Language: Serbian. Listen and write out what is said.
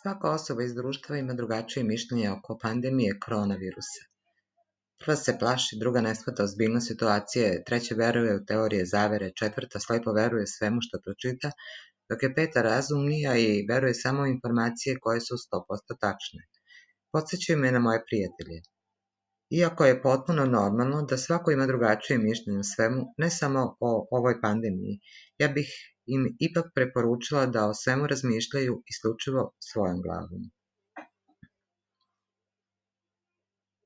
Svaka osoba iz društva ima drugačije mišljenje oko pandemije koronavirusa. Prva se plaši, druga ne shvata ozbiljnost situacije, treća veruje u teorije zavere, četvrta slepo veruje svemu što pročita, dok je peta razumnija i veruje samo u informacije koje su 100% tačne. Podsećaju me na moje prijatelje. Iako je potpuno normalno da svako ima drugačije mišljenje o svemu, ne samo o ovoj pandemiji, ja bih im ipak preporučila da o svemu razmišljaju isključivo svojom glavom.